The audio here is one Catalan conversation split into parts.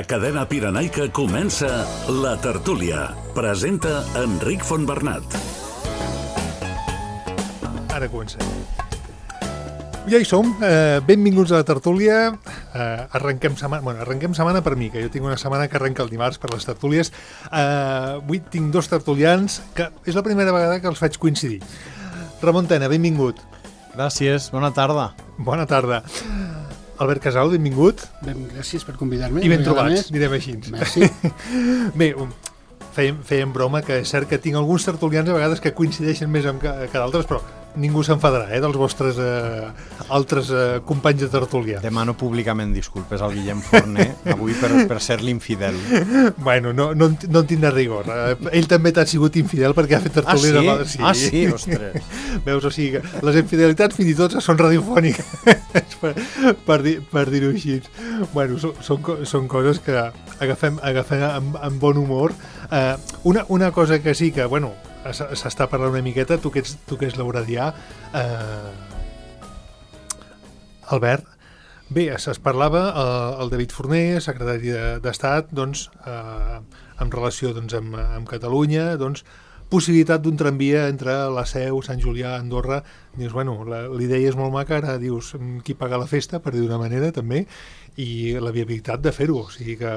A Cadena Pirenaica comença La Tertúlia. Presenta Enric Fontbernat. Ara comencem. Ja hi som, benvinguts a La Tertúlia. Arrenquem setmana per mi, que jo tinc una setmana que arrenca el dimarts per les tertúlies. Avui tinc dos tertulians, que és la primera vegada que els faig coincidir. Ramon Tena, benvingut. Gràcies, bona tarda. Bona tarda. Albert Casal, benvingut. Gràcies per convidar-me. I ben trobats, direm així. Merci. Bé, fèiem broma, que és cert que tinc alguns tertulians a vegades que coincideixen més que d'altres, però ningú s'enfadarà, dels vostres altres companys de tertúlia. Demano públicament disculpes al Guillem Forner avui per ser l'infidel. Bueno, no en tindrà rigor. Ell també t'ha sigut infidel perquè ha fet tertúlies. Sí, ostres. Veus, o sigui, les infidelitats fins i tot són radiofòniques, per dir-ho així. Bueno, són coses que agafem amb bon humor. Una cosa que sí que, bueno, s'està parlant una miqueta, tu que ets lauradià, Albert, bé, es parlava el David Forner, secretari d'Estat, doncs, en relació amb Catalunya, doncs, possibilitat d'un tramvia entre la Seu, Sant Julià, Andorra. Dius, bueno, l'idea és molt maca, ara dius qui paga la festa, per dir d'una manera, també, i la viabilitat de fer-ho, o sigui que...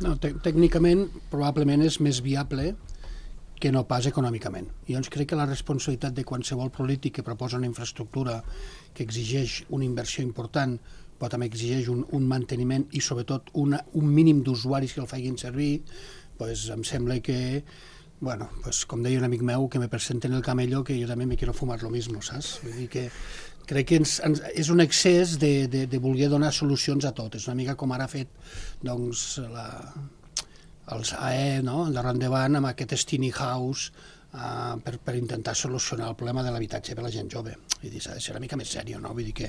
No, tècnicament, probablement és més viable que no pas econòmicament. I llavors crec que la responsabilitat de qualsevol polític que proposa una infraestructura que exigeix una inversió important, però també exigeix un manteniment i sobretot un mínim d'usuaris que el facin servir, pues em sembla que, bueno, pues, com deia un amic meu, que me presenten el camello, que jo també me quiero fumar lo mismo, saps? Vull dir que crec que és un excés de voler donar solucions a tot. És una mica com ara ha fet doncs, els AE, no? d'ara endavant, amb aquest tiny house per intentar solucionar el problema de l'habitatge per a la gent jove. Vull dir, s'ha de ser una mica més sèrio, no? Vull dir que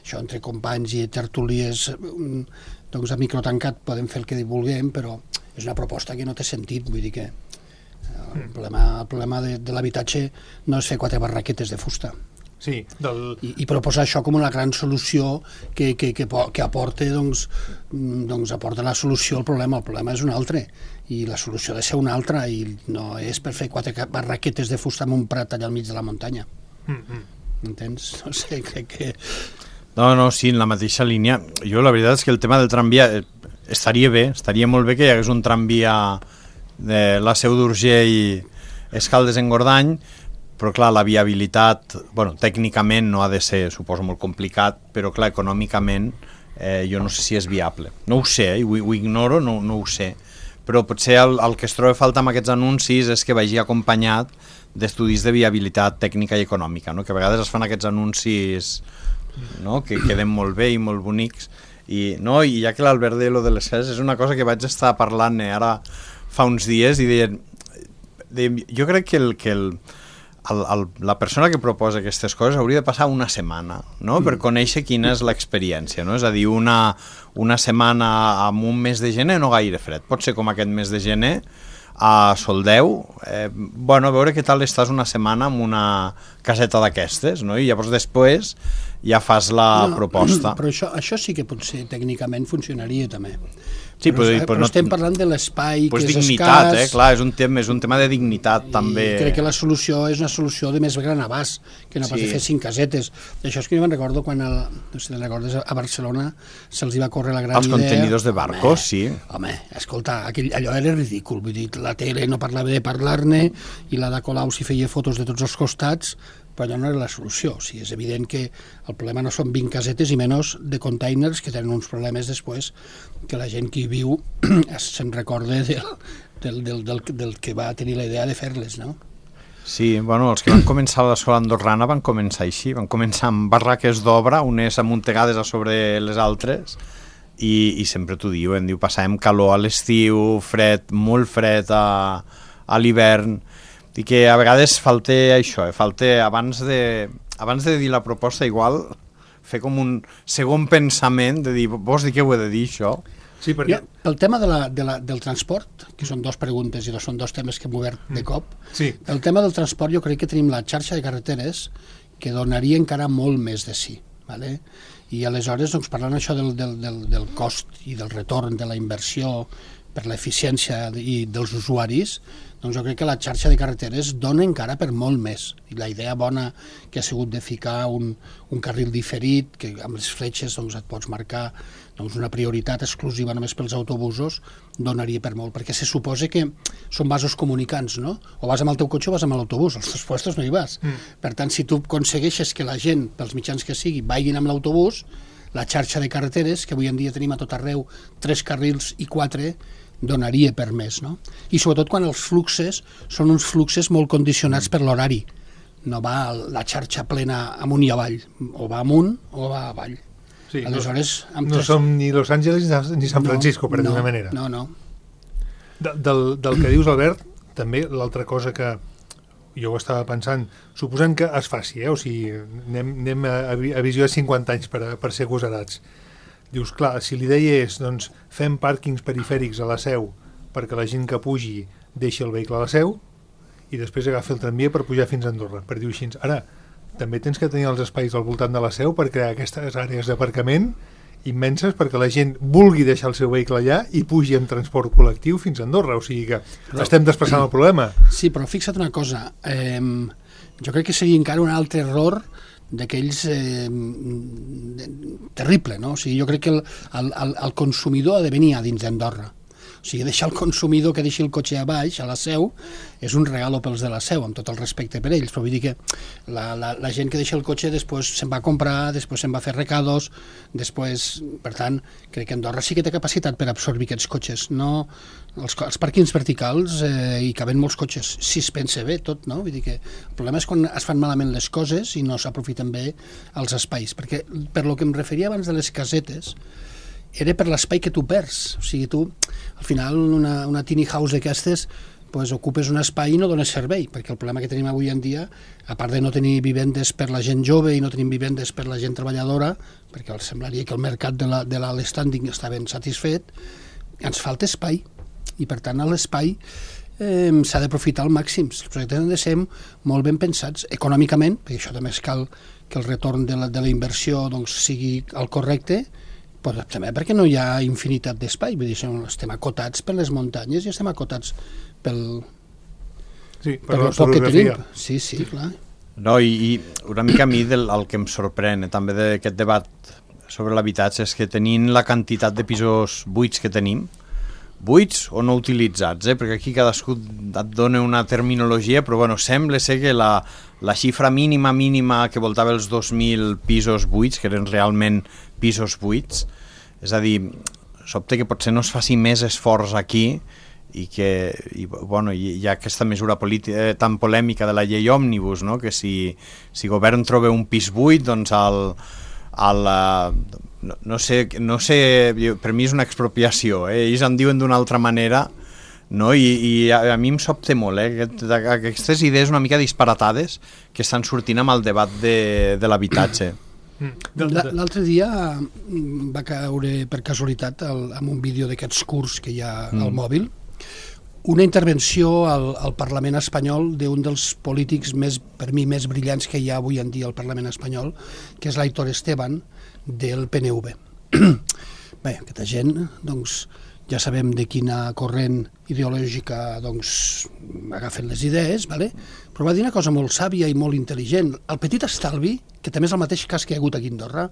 això entre companys i tertulies doncs a microtancat podem fer el que vulguem, però és una proposta que no té sentit. Vull dir que el problema de l'habitatge no és fer 4 barraquetes de fusta. Sí, I proposar això com una gran solució que aporta, aporta la solució al problema. El problema és un altre i la solució ha de ser una altra, i no és per fer 4 barraquetes de fusta en un prat allà al mig de la muntanya. Entens? No sé, crec que... No, sí, en la mateixa línia. Jo la veritat és que el tema del tramvia estaria molt bé que hi hagués un tramvia de la Seu d'Urgell i Escaldes-Engordany, però clar, la viabilitat, bueno, tècnicament no ha de ser, suposo, molt complicat, però clar, econòmicament jo no sé si és viable. No ho sé, ho ignoro, no ho sé, però potser el que es troba falta amb aquests anuncis és que vagi acompanyat d'estudis de viabilitat tècnica i econòmica, no? Que a vegades es fan aquests anuncis, no? Que queden molt bé i molt bonics, i ja que l'Albert de lo de les cases és una cosa que vaig estar parlant ara fa uns dies, i deien, jo crec que la persona que proposa aquestes coses hauria de passar una setmana, no? Per conèixer quina és l'experiència, no? És a dir, una setmana amb un mes de gener no gaire fred, pot ser com aquest mes de gener a Soldeu, bueno, a veure què tal estàs una setmana amb una caseta d'aquestes, no? I llavors després ja fas la proposta. Però això sí que potser tècnicament funcionaria també. Sí, però estem parlant de l'espai que és dignitat, escàs. Clar, és un tema de dignitat també. I crec que la solució és una solució de més gran abast, que no pas de fer 5 casetes. Això és que jo me'n recordo quan, no sé si recordes, a Barcelona se'ls va córrer la gran idea... Els contenidors de barcos, sí. Home, escolta, allò era ridícul, vull dir, la tele no parlava de parlar-ne i la de Colau s'hi feia fotos de tots els costats, però allò no era la solució. O sigui, és evident que el problema no són 20 casetes i menys de containers, que tenen uns problemes després que la gent que hi viu se'n recorda del que va tenir la idea de fer-les, no? Sí, bueno, els que van començar a l'escola andorrana van començar així, van començar amb barraques d'obra, unes amuntegades a sobre les altres, i sempre t'ho diuen, passàvem calor a l'estiu, fred, molt fred a l'hivern, i que a vegades falta això, falta abans de dir la proposta, igual fer com un segon pensament de dir, vols dir què ho he de dir, això? Sí, perquè... Pel tema del transport, que són 2 preguntes i són 2 temes que hem obert de cop, sí. El tema del transport jo crec que tenim la xarxa de carreteres que donaria encara molt més de sí. Vale? I aleshores, doncs, parlant això del cost i del retorn de la inversió per l'eficiència dels usuaris, doncs jo crec que la xarxa de carreteres dona encara per molt més. I la idea bona que ha sigut de ficar un carril diferit, que amb les fletxes doncs, et pots marcar doncs, una prioritat exclusiva només pels autobusos, donaria per molt, perquè se suposa que són vasos comunicants, no? O vas amb el teu cotxe o vas amb l'autobús, als dos puestos no hi vas. Per tant, si tu aconsegueixes que la gent, pels mitjans que sigui, vagin amb l'autobús, la xarxa de carreteres, que avui en dia tenim a tot arreu 3 carrils i 4, donaria per més, no? I sobretot quan els fluxes són uns fluxes molt condicionats per l'horari. No va la xarxa plena amunt i avall, o va amunt o va avall. Sí, aleshores, no som ni Los Angeles ni San Francisco, per dir-ho d'una manera. No. Del que dius, Albert, també l'altra cosa que jo ho estava pensant, suposant que es faci, o sigui, anem a visió de 50 anys per ser agosarats. Dius, clar, si l'idea és, doncs, fem pàrquings perifèrics a la Seu perquè la gent que pugi deixi el vehicle a la Seu i després agafi el tramvia per pujar fins a Andorra, per dir-ho així. Ara, també tens que tenir els espais al voltant de la Seu per crear aquestes àrees d'aparcament immenses perquè la gent vulgui deixar el seu vehicle allà i pugi en transport col·lectiu fins a Andorra, o sigui que estem desplaçant el problema. Sí, però fixa't una cosa, jo crec que seria encara un altre error d'aquells terrible, no? O sigui, jo crec que el consumidor ha de venir a dins d'Andorra. O sigui, deixar el consumidor que deixi el cotxe a baix, a la Seu, és un regalo pels de la Seu, amb tot el respecte per ells, però vull dir que la gent que deixa el cotxe després se'n va a comprar, després se'n va a fer recados, després, per tant, crec que Andorra sí que té capacitat per absorbir aquests cotxes. No, els pàrquings verticals hi caben molts cotxes, si es pensa bé tot, no? Vull dir que el problema és quan es fan malament les coses i no s'aprofiten bé els espais, perquè per lo que em referia abans de les casetes, era per l'espai que tu perds. O sigui, tu, al final, una tiny house d'aquestes, pues, ocupes un espai i no dones servei, perquè el problema que tenim avui en dia, a part de no tenir vivendes per la gent jove i no tenim vivendes per la gent treballadora, perquè semblaria que el mercat de l'estanding està ben satisfet, ens falta espai. I, per tant, a l'espai s'ha d'aprofitar al màxim. Els projectes han de ser molt ben pensats econòmicament, perquè això també cal que el retorn de la inversió doncs, sigui el correcte, però també perquè no hi ha infinitat d'espai, vull dir, estem acotats per les muntanyes i estem acotats pel poc que tenim. Sí, clar. No, i una mica a mi el que em sorprèn també d'aquest debat sobre l'habitatge és que tenint la quantitat de pisos buits que tenim, buits o no utilitzats, perquè aquí cadascú et dona una terminologia, però bueno, sembla ser que la xifra mínima que voltava els 2.000 pisos buits, que eren realment pisos buits, és a dir, sobte que potser no es faci més esforç aquí i que bueno, hi ha aquesta mesura tan polèmica de la llei òmnibus, no? Que si govern troba un pis buit, doncs no sé, per mi és una expropiació, ells en diuen d'una altra manera, no? I a mi em sobta molt aquestes idees una mica disparatades que estan sortint amb el debat de l'habitatge. L'altre dia va caure per casualitat amb un vídeo d'aquests curts que hi ha al mòbil una intervenció al Parlament espanyol d'un dels polítics per mi més brillants que hi ha avui en dia al Parlament espanyol, que és l'Aitor Esteban del PNV. Bé, aquesta gent, doncs, ja sabem de quina corrent ideològica doncs, agafen les idees, vale? Però va dir una cosa molt sàvia i molt intel·ligent. El petit estalvi, que també és el mateix cas que hi ha hagut aquí a Andorra,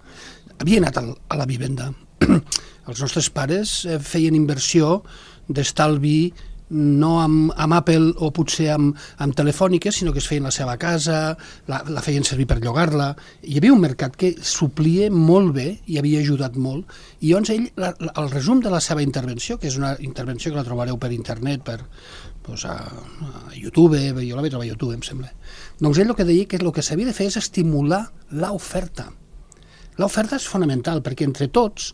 havia anat a la vivenda. Els nostres pares feien inversió d'estalvi no amb Apple o potser amb telefòniques, sinó que es feien la seva casa, la feien servir per llogar-la. Hi havia un mercat que suplia molt bé i havia ajudat molt. I llavors ell, el resum de la seva intervenció, que és una intervenció que la trobareu per internet, a YouTube, jo la vaig trobar a YouTube, em sembla. Doncs ell el que deia que el que s'havia de fer és estimular l'oferta. L'oferta és fonamental, perquè entre tots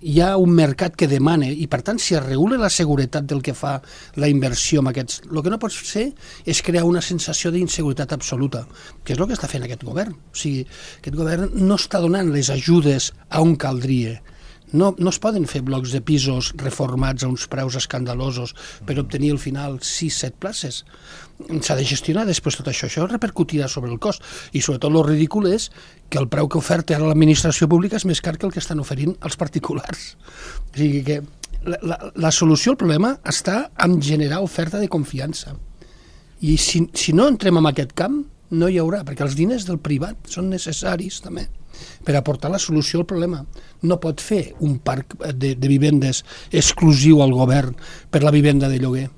hi ha un mercat que demana i, per tant, si es regula la seguretat del que fa la inversió amb aquests... El que no pots fer és crear una sensació d'inseguretat absoluta, que és el que està fent aquest govern. O sigui, aquest govern no està donant les ajudes a on caldria. No es poden fer blocs de pisos reformats a uns preus escandalosos per obtenir al final 6-7 places. S'ha de gestionar després tot això. Això repercutirà sobre el cost. I sobretot el ridícul és que el preu que oferta ara l'administració pública és més car que el que estan oferint els particulars. O sigui que la solució al problema està en generar oferta de confiança. I si no entrem en aquest camp, no hi haurà, perquè els diners del privat són necessaris també per aportar la solució al problema. No pot fer un parc de vivendes exclusiu al govern per la vivenda de lloguer.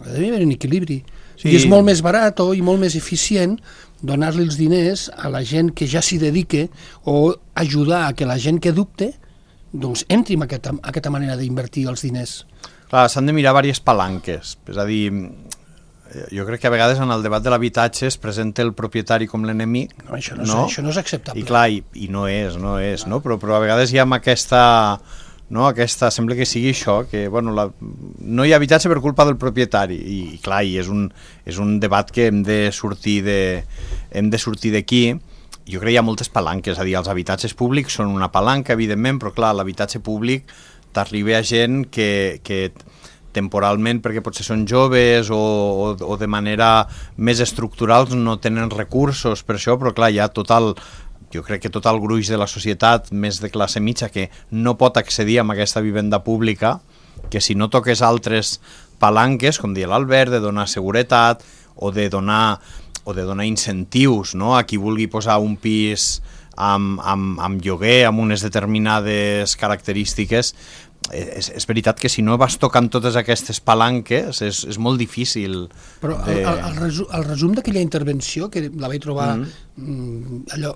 Ha d'haver un equilibri. Sí. I és molt més barat i molt més eficient donar-li els diners a la gent que ja s'hi dedique o ajudar a que la gent que dubte doncs entri en aquesta manera d'invertir els diners. Clar, s'han de mirar diverses palanques. És a dir, jo crec que a vegades en el debat de l'habitatge es presenta el propietari com l'enemic. No, això no és acceptable. I clar, i no és, no? Però a vegades hi ha aquesta... No, sembla que sigui això, que bueno, no hi ha habitatge per culpa del propietari i clar, és un debat que hem de sortir d'aquí. Jo crec que hi ha moltes palanques, és a dir, els habitatges públics són una palanca, evidentment, però clar, l'habitatge públic t'arriba a gent que temporalment, perquè potser són joves o de manera més estructural no tenen recursos per això, però clar, hi ha jo crec que tot el gruix de la societat, més de classe mitja, que no pot accedir a aquesta vivenda pública, que si no toques altres palanques, com deia l'Albert, de donar seguretat o de donar incentius, no?, a qui vulgui posar un pis amb lloguer, amb unes determinades característiques, és veritat que si no vas tocant totes aquestes palanques és molt difícil. Però el resum d'aquella intervenció, que la vaig trobar allò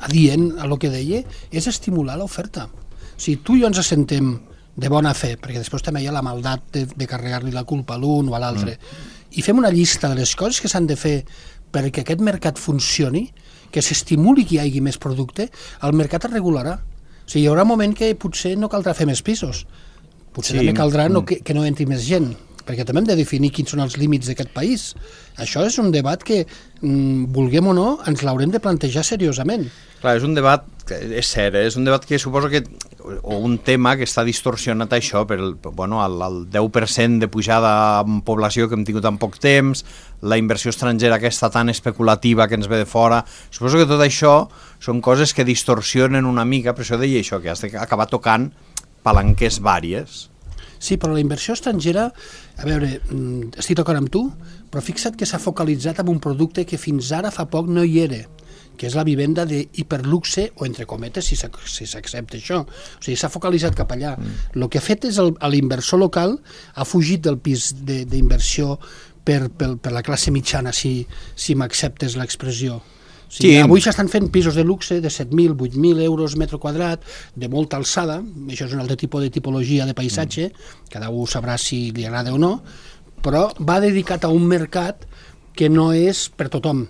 adient a lo que deia, és estimular l'oferta. O sigui, tu i jo ens assentem de bona fe, perquè després també hi ha la maldat de carregar-li la culpa a l'un o a l'altre, i fem una llista de les coses que s'han de fer perquè aquest mercat funcioni, que s'estimuli que hi hagi més producte, el mercat es regularà. O sigui, hi haurà un moment que potser no caldrà fer més pisos. Potser també caldrà que no entri més gent, perquè també hem de definir quins són els límits d'aquest país. Això és un debat que, vulguem o no, ens l'haurem de plantejar seriosament. Clar, és un debat, és cert, és un debat que suposo que, o un tema que està distorsionat això per el 10% de pujada en població que hem tingut en poc temps, la inversió estrangera aquesta tan especulativa que ens ve de fora. Suposo que tot això són coses que distorsionen una mica, per això deia això, que has d'acabar tocant palanques vàries. Sí, però la inversió estrangera, a veure, estic d'acord amb tu, però fixa't que s'ha focalitzat en un producte que fins ara fa poc no hi era, que és la vivenda d'hiperluxe, o entre cometes, si s'accepta això. O sigui, s'ha focalitzat cap allà. El que ha fet és l'inversor local ha fugit del pis d'inversió per la classe mitjana, si m'acceptes l'expressió. O sigui, avui s'estan fent pisos de luxe de 7.000, 8.000 euros metre quadrat, de molta alçada, això és un altre tipus de tipologia de paisatge, cada un sabrà si li agrada o no, però va dedicat a un mercat que no és per tothom.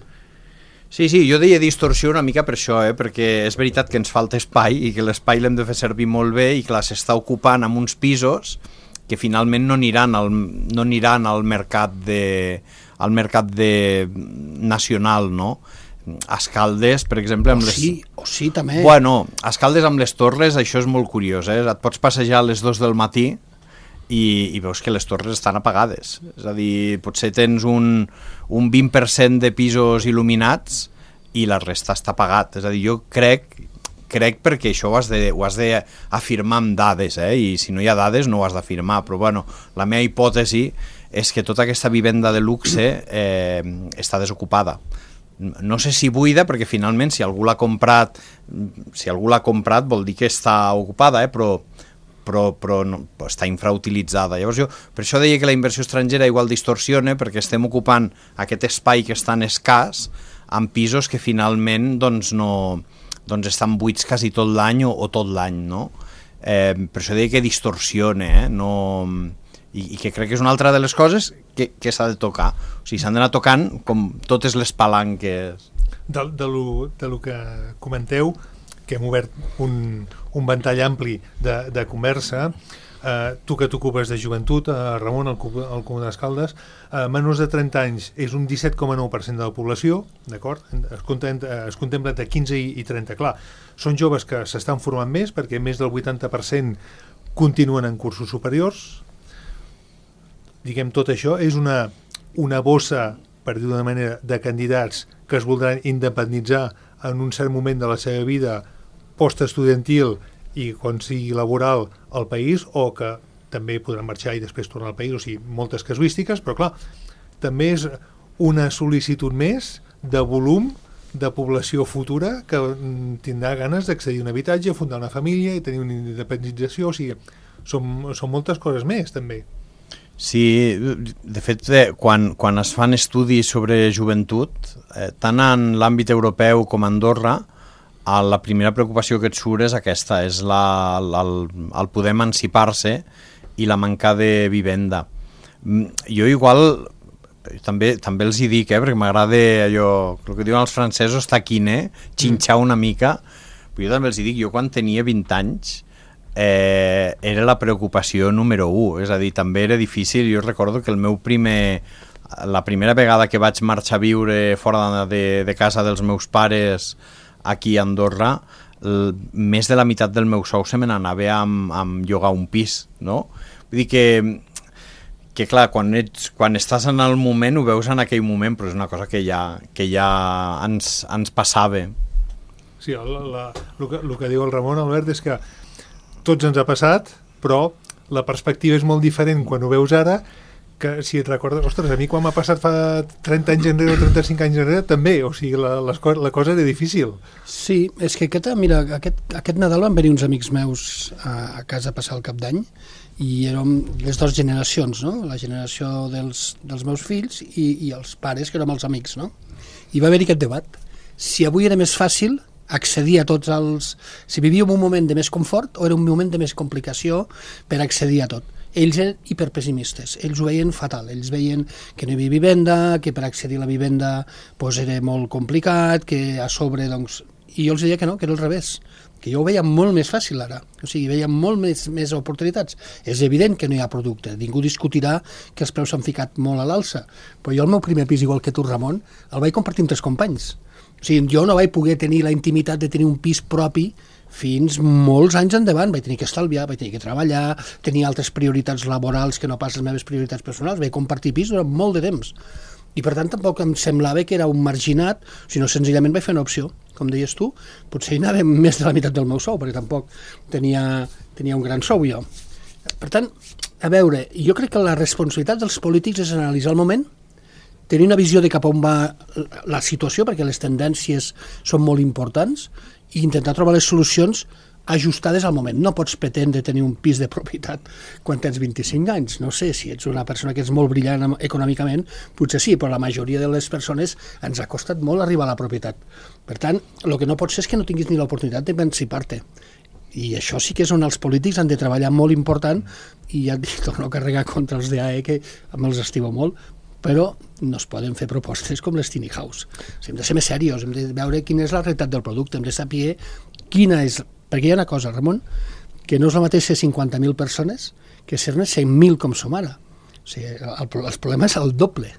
Sí, jo deia distorsió una mica per això, perquè és veritat que ens falta espai i que l'espai l'hem de fer servir molt bé i clar, s'està ocupant amb uns pisos que finalment no aniran al mercat nacional, no? A Escaldes, per exemple... Sí, també. Bueno, a Escaldes amb les Torres això és molt curiós, et pots passejar a les 2 del matí i veus que les torres estan apagades. És a dir, potser tens un 20% de pisos il·luminats i la resta està apagat. És a dir, jo crec perquè això ho has d'afirmar amb dades, i si no hi ha dades no ho has d'afirmar, però bueno, la meva hipòtesi és que tota aquesta vivenda de luxe està desocupada. No sé si buida, perquè finalment si algú l'ha comprat vol dir que està ocupada, però no, està infrautilitzada. Llavors per això deia que la inversió estrangera igual distorsiona, perquè estem ocupant aquest espai que és tan escàs amb pisos que finalment doncs estan buits quasi tot l'any o tot l'any, no? Per això deia que distorsiona, i que crec que és una altra de les coses que s'ha de tocar. O sigui, s'han d'anar tocant com totes les palanques. De lo que comenteu, que hem obert un ventall ampli de conversa, tu que t'ocupes de joventut, Ramon, al Comú d'Escaldes, menors de 30 anys és un 17,9% de la població, d'acord? Es contempla entre 15 i 30. Clar, són joves que s'estan formant més perquè més del 80% continuen en cursos superiors. Diguem, tot això és una bossa, per dir d'una manera, de candidats que es voldran independitzar en un cert moment de la seva vida postestudiantil i quan sigui laboral al país, o que també podran marxar i després tornar al país, o sigui, moltes casuístiques, però clar, també és una sol·licitud més de volum de població futura que tindrà ganes d'accedir a un habitatge, fundar una família i tenir una independització, o sigui, són moltes coses més, també. Sí, de fet, quan es fan estudis sobre joventut, tant en l'àmbit europeu com a Andorra, la primera preocupació que et surt és aquesta, és el poder emancipar-se i la manca de vivenda. Jo igual també els hi dic, perquè m'agrada allò, el que diuen els francesos, taquiner, xinxar una mica, però jo també els hi dic, jo quan tenia 20 anys era la preocupació número 1, és a dir, també era difícil. Jo recordo que la primera vegada que vaig marxar a viure fora de casa dels meus pares aquí a Andorra, més de la meitat del meu sou se me n'anava amb llogar un pis, no? Vull dir que clar, quan estàs en el moment ho veus en aquell moment, però és una cosa que ja ens passava. Sí, el que diu el Ramon, Albert, és que tots ens ha passat, però la perspectiva és molt diferent quan ho veus ara, que si et recordes, ostres, a mi quan m'ha passat fa 30 anys enrere o 35 anys enrere també, o sigui, la cosa era difícil. Sí, és que aquest Nadal van venir uns amics meus a casa a passar el cap d'any i érem les dues generacions, no? La generació dels meus fills i els pares, que érem els amics, no? I va haver-hi aquest debat. Si avui era més fàcil accedir a tots els... Si vivíem un moment de més confort o era un moment de més complicació per accedir a tot. Ells eren hiperpessimistes, ells ho veien fatal, ells veien que no hi havia vivenda, que per accedir a la vivenda pues, era molt complicat, que a sobre, doncs... I jo els deia que no, que era al revés, que jo ho veia molt més fàcil ara, o sigui, veia molt més oportunitats. És evident que no hi ha producte, ningú discutirà que els preus s'han ficat molt a l'alça, però jo el meu primer pis, igual que tu, Ramon, el vaig compartir amb 3 companys. O sigui, jo no vaig poder tenir la intimitat de tenir un pis propi fins molts anys endavant. Vaig tenir que estalviar, vaig tenir que treballar, tenia altres prioritats laborals que no pas les meves prioritats personals, vaig compartir pis durant molt de temps. I per tant tampoc em semblava que era un marginat, sinó senzillament vaig fer una opció. Com deies tu, potser hi anava més de la meitat del meu sou, perquè tampoc tenia un gran sou jo. Per tant, a veure, jo crec que la responsabilitat dels polítics és analitzar el moment, tenir una visió de cap on va la situació, perquè les tendències són molt importants, i intentar trobar les solucions ajustades al moment. No pots pretendre tenir un pis de propietat quan tens 25 anys. No sé, si ets una persona que és molt brillant econòmicament, potser sí, però la majoria de les persones ens ha costat molt arribar a la propietat. Per tant, el que no pot ser és que no tinguis ni l'oportunitat d'emancipar-te. I això sí que és on els polítics han de treballar molt important, i ja et dic, torno a carregar contra els d'AE, que me'ls estimo molt, però no es poden fer propostes com les Tiny House. O sigui, hem de ser més serios, hem de veure quina és la realitat del producte, hem de saber quina és... Perquè hi ha una cosa, Ramon, que no és la mateixa 50.000 persones que ser-ne 100.000 com som ara. O sigui, el problema és el doble.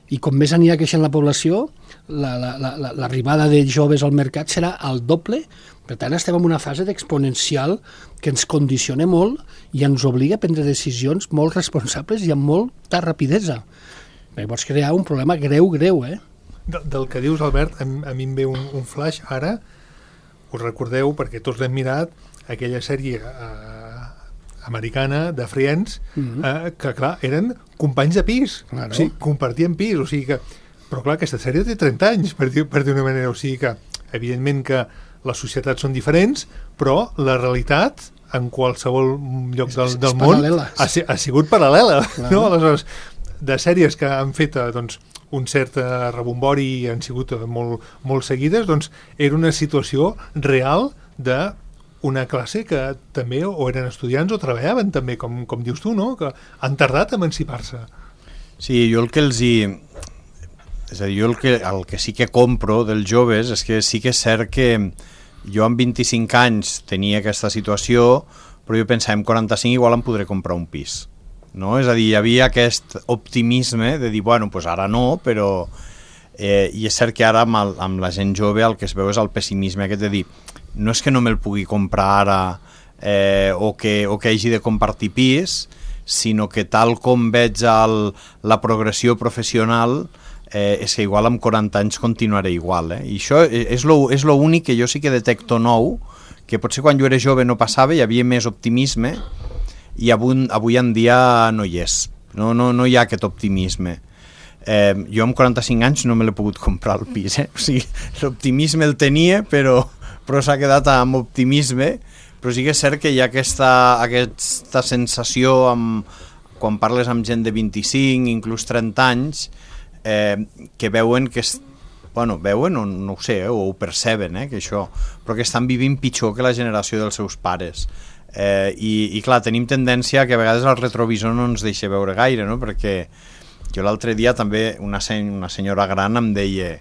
I com més anirà creixent la població, l'arribada de joves al mercat serà el doble. Per tant, estem en una fase d'exponencial que ens condiciona molt i ens obliga a prendre decisions molt responsables i amb molta rapidesa. Perquè pots crear un problema greu, Del que dius, Albert, a mi em ve un flash ara. Us recordeu, perquè tots l'hem mirat, aquella sèrie americana de Friends, que clar, eren companys de pis, claro. O sigui, compartien pis, o sigui que... Però clar, aquesta sèrie té 30 anys, per dir una manera, o sigui que, evidentment que les societats són diferents, però la realitat en qualsevol lloc del món ha sigut paral·lela, claro. No? Aleshores, de sèries que han fet doncs, un cert rebombori i han sigut molt seguides, doncs era una situació real d'una classe que també o eren estudiants o treballaven també, com dius tu, no? Que han tardat a emancipar-se. Sí, jo el que els hi... És a dir, jo el que sí que compro dels joves és que sí que és cert que jo amb 25 anys tenia aquesta situació, però jo pensava, amb 45 igual em podré comprar un pis. No? És a dir, hi havia aquest optimisme de dir, bueno, pues ara no, però... I és cert que ara amb la gent jove el que es veu és el pessimisme aquest de dir, no és que no me'l pugui comprar ara o que hagi de compartir pis, sinó que tal com veig la progressió professional és que igual amb 40 anys continuaré igual. I això és l'únic que jo sí que detecto nou, que potser quan jo era jove no passava, hi havia més optimisme, i avui en dia no hi és. No hi ha aquest optimisme. Jo amb 45 anys no me l'he pogut comprar el pis. O sigui, l'optimisme el tenia, però s'ha quedat amb optimisme. Però sí que és cert que hi ha aquesta sensació quan parles amb gent de 25, inclús 30 anys, que veuen que veuen o no ho sé, o ho perceben, que això, però que estan vivint pitjor que la generació dels seus pares. I clar, tenim tendència que a vegades el retrovisor no ens deixa veure gaire, no? Perquè jo l'altre dia també una senyora gran em deia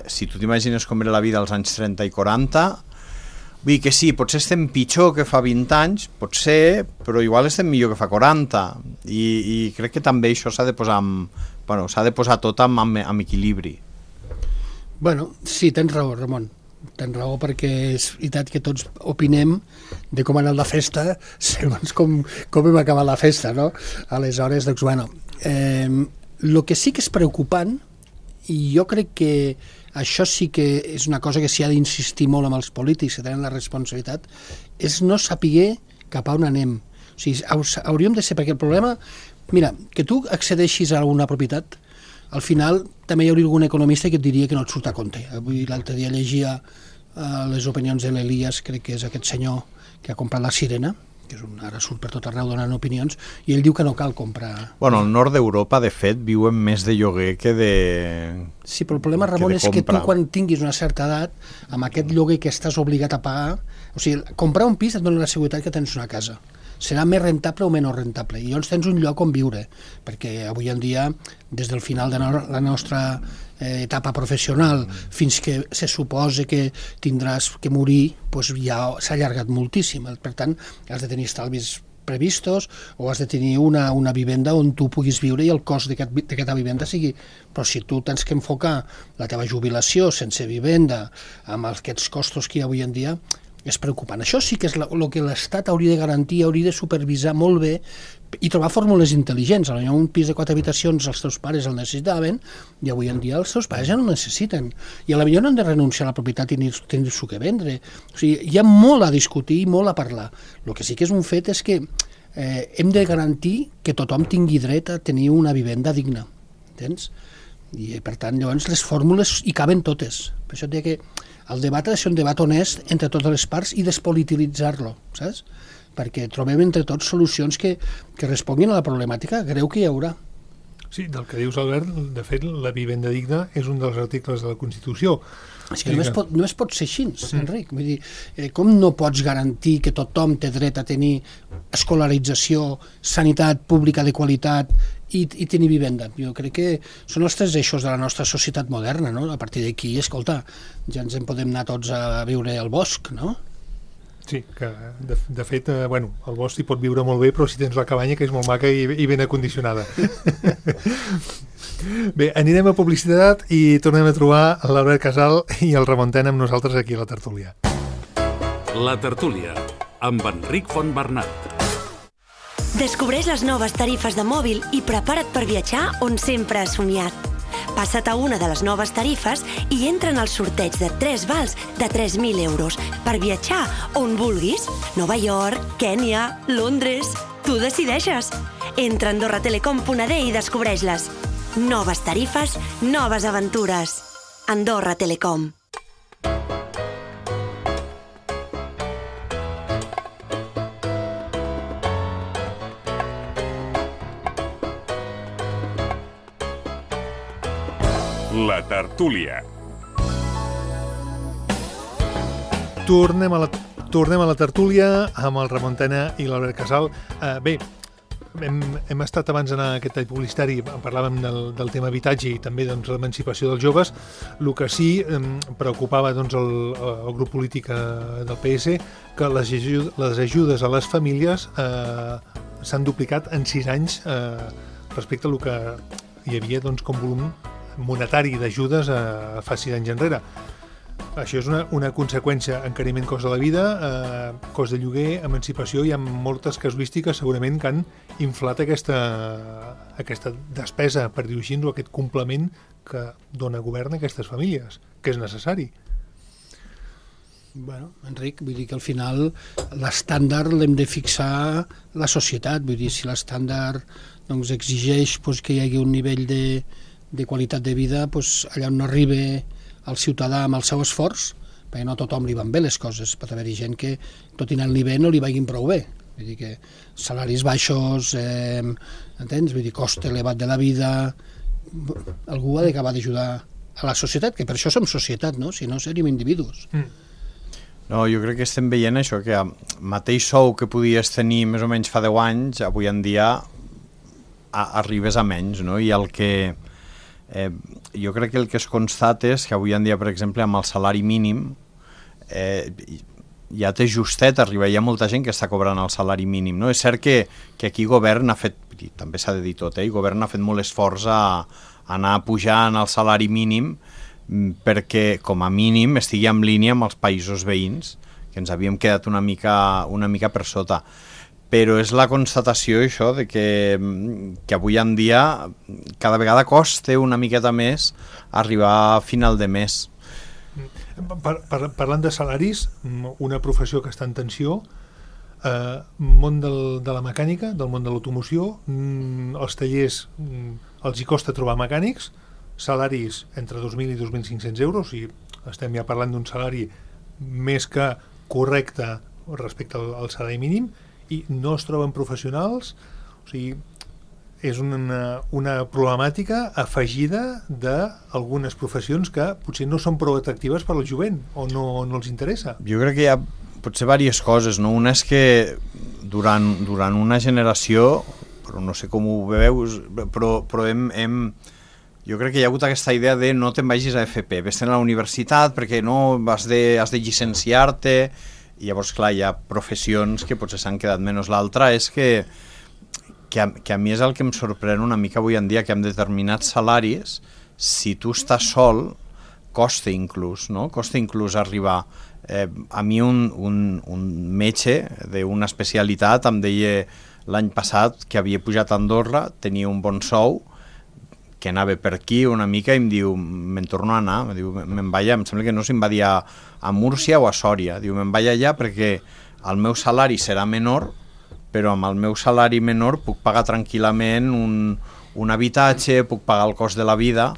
si tu t'imagines com era la vida als anys 30 i 40, vull dir que sí, potser estem pitjor que fa 20 anys, potser, però igual estem millor que fa 40, i crec que també això s'ha de posar tot amb equilibri. Bueno, sí, tens raó, Ramon. Tens raó, perquè és veritat que tots opinem de com ha anat la festa segons com hem acabat la festa, no? Aleshores, doncs, bueno, el que sí que és preocupant, i jo crec que això sí que és una cosa que s'hi ha d'insistir molt amb els polítics que tenen la responsabilitat, és no saber cap a on anem. O sigui, hauríem de ser, perquè el problema, mira, que tu accedeixis a una propietat, al final també hi hauria algun economista que et diria que no et surt a compte. Avui l'altre dia llegia les opinions de l'Elias, crec que és aquest senyor que ha comprat la Sirena, que ara surt per tot arreu donant opinions, i ell diu que no cal comprar... Bueno, al nord d'Europa, de fet, viuen més de lloguer que de... Sí, però el problema, Ramon, és que tu quan tinguis una certa edat, amb aquest lloguer que estàs obligat a pagar... O sigui, comprar un pis et dona la seguretat que tens una casa. Serà més rentable o menys rentable, i llavors tens un lloc on viure, perquè avui en dia, des del final de la nostra etapa professional fins que se suposa que tindràs que morir, doncs ja s'ha allargat moltíssim. Per tant, has de tenir estalvis previstos o has de tenir una vivenda on tu puguis viure i el cost d'aquesta vivenda sigui... Però si tu tens que enfocar la teva jubilació sense vivenda amb aquests costos que hi ha avui en dia, és preocupant. Això sí que és el que l'Estat hauria de garantir, hauria de supervisar molt bé i trobar fórmules intel·ligents. Potser un pis de 4 habitacions els teus pares el necessitaven i avui en dia els seus pares ja no el necessiten. I potser no han de renunciar a la propietat i tenir-s'ho que vendre. O sigui, hi ha molt a discutir i molt a parlar. El que sí que és un fet és que hem de garantir que tothom tingui dret a tenir una vivenda digna. Entens? I per tant, llavors, les fórmules hi caben totes. Per això et deia que el debat ha de ser un debat honest entre totes les parts i despolititzar-lo, saps? Perquè trobem entre tots solucions que responguin a la problemàtica greu que hi haurà. Sí, del que dius, Albert, de fet, la vivenda digna és un dels articles de la Constitució. És que només pot ser així, Enric. Vull dir, com no pots garantir que tothom té dret a tenir escolarització, sanitat pública de qualitat i tenir vivenda? Jo crec que són els 3 eixos de la nostra societat moderna, no? A partir d'aquí, escolta, ja ens en podem anar tots a viure al bosc, no? Sí, que de fet, el bosc hi pot viure molt bé, però si tens la cabanya, que és molt maca i ben acondicionada. Bé, anirem a publicitat i tornem a trobar l'Albert Casal i el Ramon Tena amb nosaltres aquí a la tertúlia. La tertúlia, amb Enric Fontbernat. Descobreix les noves tarifes de mòbil i prepara't per viatjar on sempre has somiat. Passa't a una de les noves tarifes i entra en el sorteig de 3 vals de 3.000 euros per viatjar on vulguis. Nova York, Kènia, Londres... Tu decideixes. Entra a AndorraTelecom.d i descobreix-les. Noves tarifes, noves aventures. Andorra Telecom. La tertúlia. Tornem a la tertúlia amb el Ramon Tena i l'Albert Casal. Bé, hem estat abans d'anar a aquest tall publicitari, parlàvem del tema habitatge i també doncs, l'emancipació dels joves. El que sí preocupava doncs, el grup polític del PS, que les ajudes a les famílies s'han duplicat en 6 anys respecte a el que hi havia doncs, com volum monetari d'ajudes fa 6 anys enrere. Això és una conseqüència: encariment cost de la vida, cost de lloguer, emancipació. Hi ha moltes casuístiques segurament que han inflat aquesta despesa, per dir-ho així, o aquest complement que dona govern a aquestes famílies, que és necessari. Bueno, Enric, vull dir que al final l'estàndard l'hem de fixar la societat. Vull dir, si l'estàndard doncs, exigeix doncs, que hi hagi un nivell de qualitat de vida, doncs, allà on no arriba el ciutadà amb el seu esforç, perquè no a tothom li van bé les coses, pot haver-hi gent que tot i anant li bé no li vagin prou bé. Vull dir que salaris baixos, entens? Vull dir, cost elevat de la vida, algú ha d'acabar d'ajudar a la societat, que per això som societat, no? Si no seríem individus. No, jo crec que estem veient això, que el mateix sou que podies tenir més o menys fa 10 anys, avui en dia arribes a menys, no? I el que... jo crec que el que es constata és que avui en dia, per exemple, amb el salari mínim ja té justet arribar, hi ha molta gent que està cobrant el salari mínim, no? És cert que aquí govern ha fet, també s'ha de dir tot, govern ha fet molt esforç a anar pujant el salari mínim perquè com a mínim estigui en línia amb els països veïns, que ens havíem quedat una mica per sota. Però és la constatació això de que avui en dia cada vegada costa una miqueta més arribar a final de mes. Parlant de salaris, una professió que està en tensió, món de la mecànica, del món de l'automoció, els tallers els hi costa trobar mecànics, salaris entre 2.000 i 2.500 euros, i estem ja parlant d'un salari més que correcte respecte al salari mínim, i no es troben professionals. O sigui, és una problemàtica afegida d'algunes professions que potser no són prou atractives per al jovent o no els interessa. Jo crec que hi ha potser diverses coses, no? Una és que durant una generació, però no sé com ho veus, però jo crec que hi ha hagut aquesta idea de no te'n vagis a FP, vés-te'n a la universitat perquè no has de llicenciar-te. I llavors, clar, hi ha professions que potser s'han quedat menys. L'altra és que a mi és el que em sorprèn una mica avui en dia, que amb determinats salaris, si tu estàs sol, costa inclús, no? Costa inclús arribar. A mi un metge d'una especialitat em deia l'any passat que havia pujat a Andorra, tenia un bon sou, que anava per aquí una mica i em diu, me'n torno a anar, em sembla que no se'n va dir a Múrcia o a Sòria, diu, me'n vaig allà perquè el meu salari serà menor, però amb el meu salari menor puc pagar tranquil·lament un habitatge, puc pagar el cost de la vida,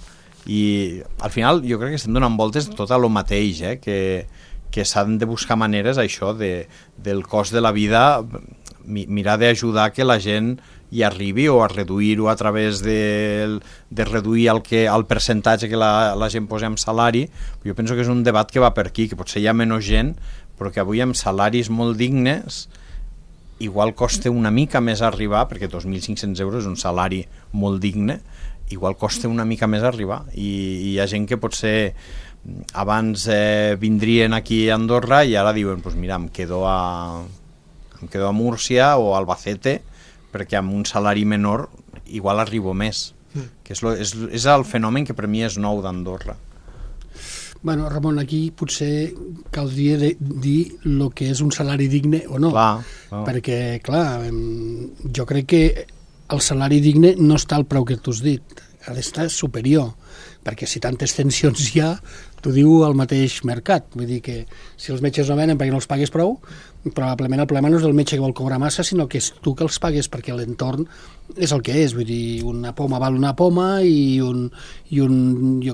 i al final jo crec que estem donant voltes tot a lo mateix, que s'han de buscar maneres, això, del cost de la vida, mirar d'ajudar que la gent hi arribi, o a reduir-ho a través de reduir el percentatge que la gent posa en salari. Jo penso que és un debat que va per aquí, que potser hi ha menys gent, però que avui amb salaris molt dignes igual costa una mica més arribar, perquè 2.500 euros és un salari molt digne, igual costa una mica més arribar, i hi ha gent que potser abans vindrien aquí a Andorra i ara diuen, pues mira, em quedo a Múrcia o a Albacete, perquè amb un salari menor igual arribo més, que és el fenomen que per mi és nou d'Andorra. Bueno, Ramon, aquí potser caldria dir el que és un salari digne o no, perquè, clar, jo crec que el salari digne no està al preu que tu has dit, ha d'estar superior, perquè si tantes tensions hi ha, t'ho diu el mateix mercat. Vull dir que si els metges no venen perquè no els pagues prou, probablement el problema no és el metge que vol cobrar massa, sinó que és tu que els pagues, perquè l'entorn és el que és. Vull dir, una poma val una poma i jo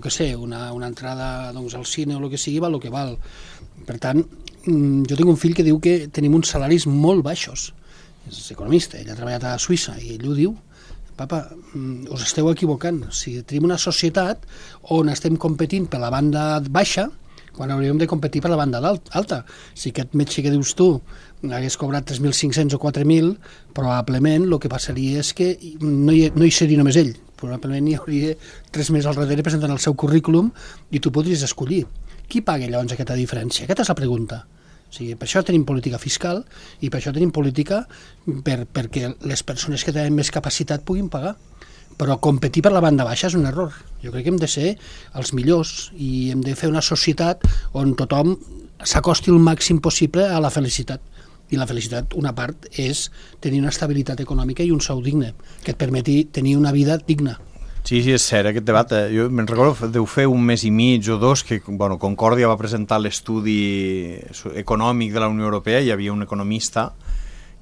què sé, una entrada doncs, al cine o el que sigui val el que val. Per tant, jo tinc un fill que diu que tenim uns salaris molt baixos. És economista, ell ha treballat a Suïssa i ell ho diu. Papa, us esteu equivocant. Si tenim una societat on estem competint per la banda baixa, quan hauríem de competir per la banda alta. Si aquest metge que dius tu hagués cobrat 3.500 o 4.000, probablement el que passaria és que no hi seria només ell, probablement hi hauria 3 més al darrere presentant el seu currículum i tu podries escollir. Qui paga llavors aquesta diferència? Aquesta és la pregunta. O sigui, per això tenim política fiscal i per això tenim política perquè les persones que tenen més capacitat puguin pagar. Però competir per la banda baixa és un error. Jo crec que hem de ser els millors i hem de fer una societat on tothom s'acosti el màxim possible a la felicitat. I la felicitat, una part, és tenir una estabilitat econòmica i un sou digne, que et permeti tenir una vida digna. Sí, és cert, aquest debat. Jo me'n recordo, deu fer un mes i mig o dos que Concòrdia va presentar l'estudi econòmic de la Unió Europea, hi havia un economista,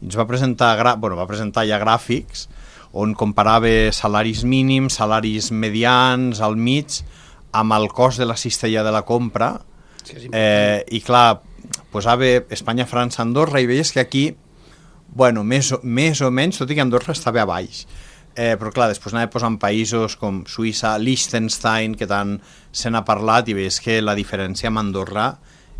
i ens va presentar ja gràfics on comparava salaris mínims, salaris medians, al mig, amb el cost de la cistella de la compra, i clar, posava Espanya, França, Andorra, i veies que aquí, més o menys, tot i que Andorra estava a baix. Però clar, després anava posant països com Suïssa, Liechtenstein, que tant se n'ha parlat, i veus que la diferència amb Andorra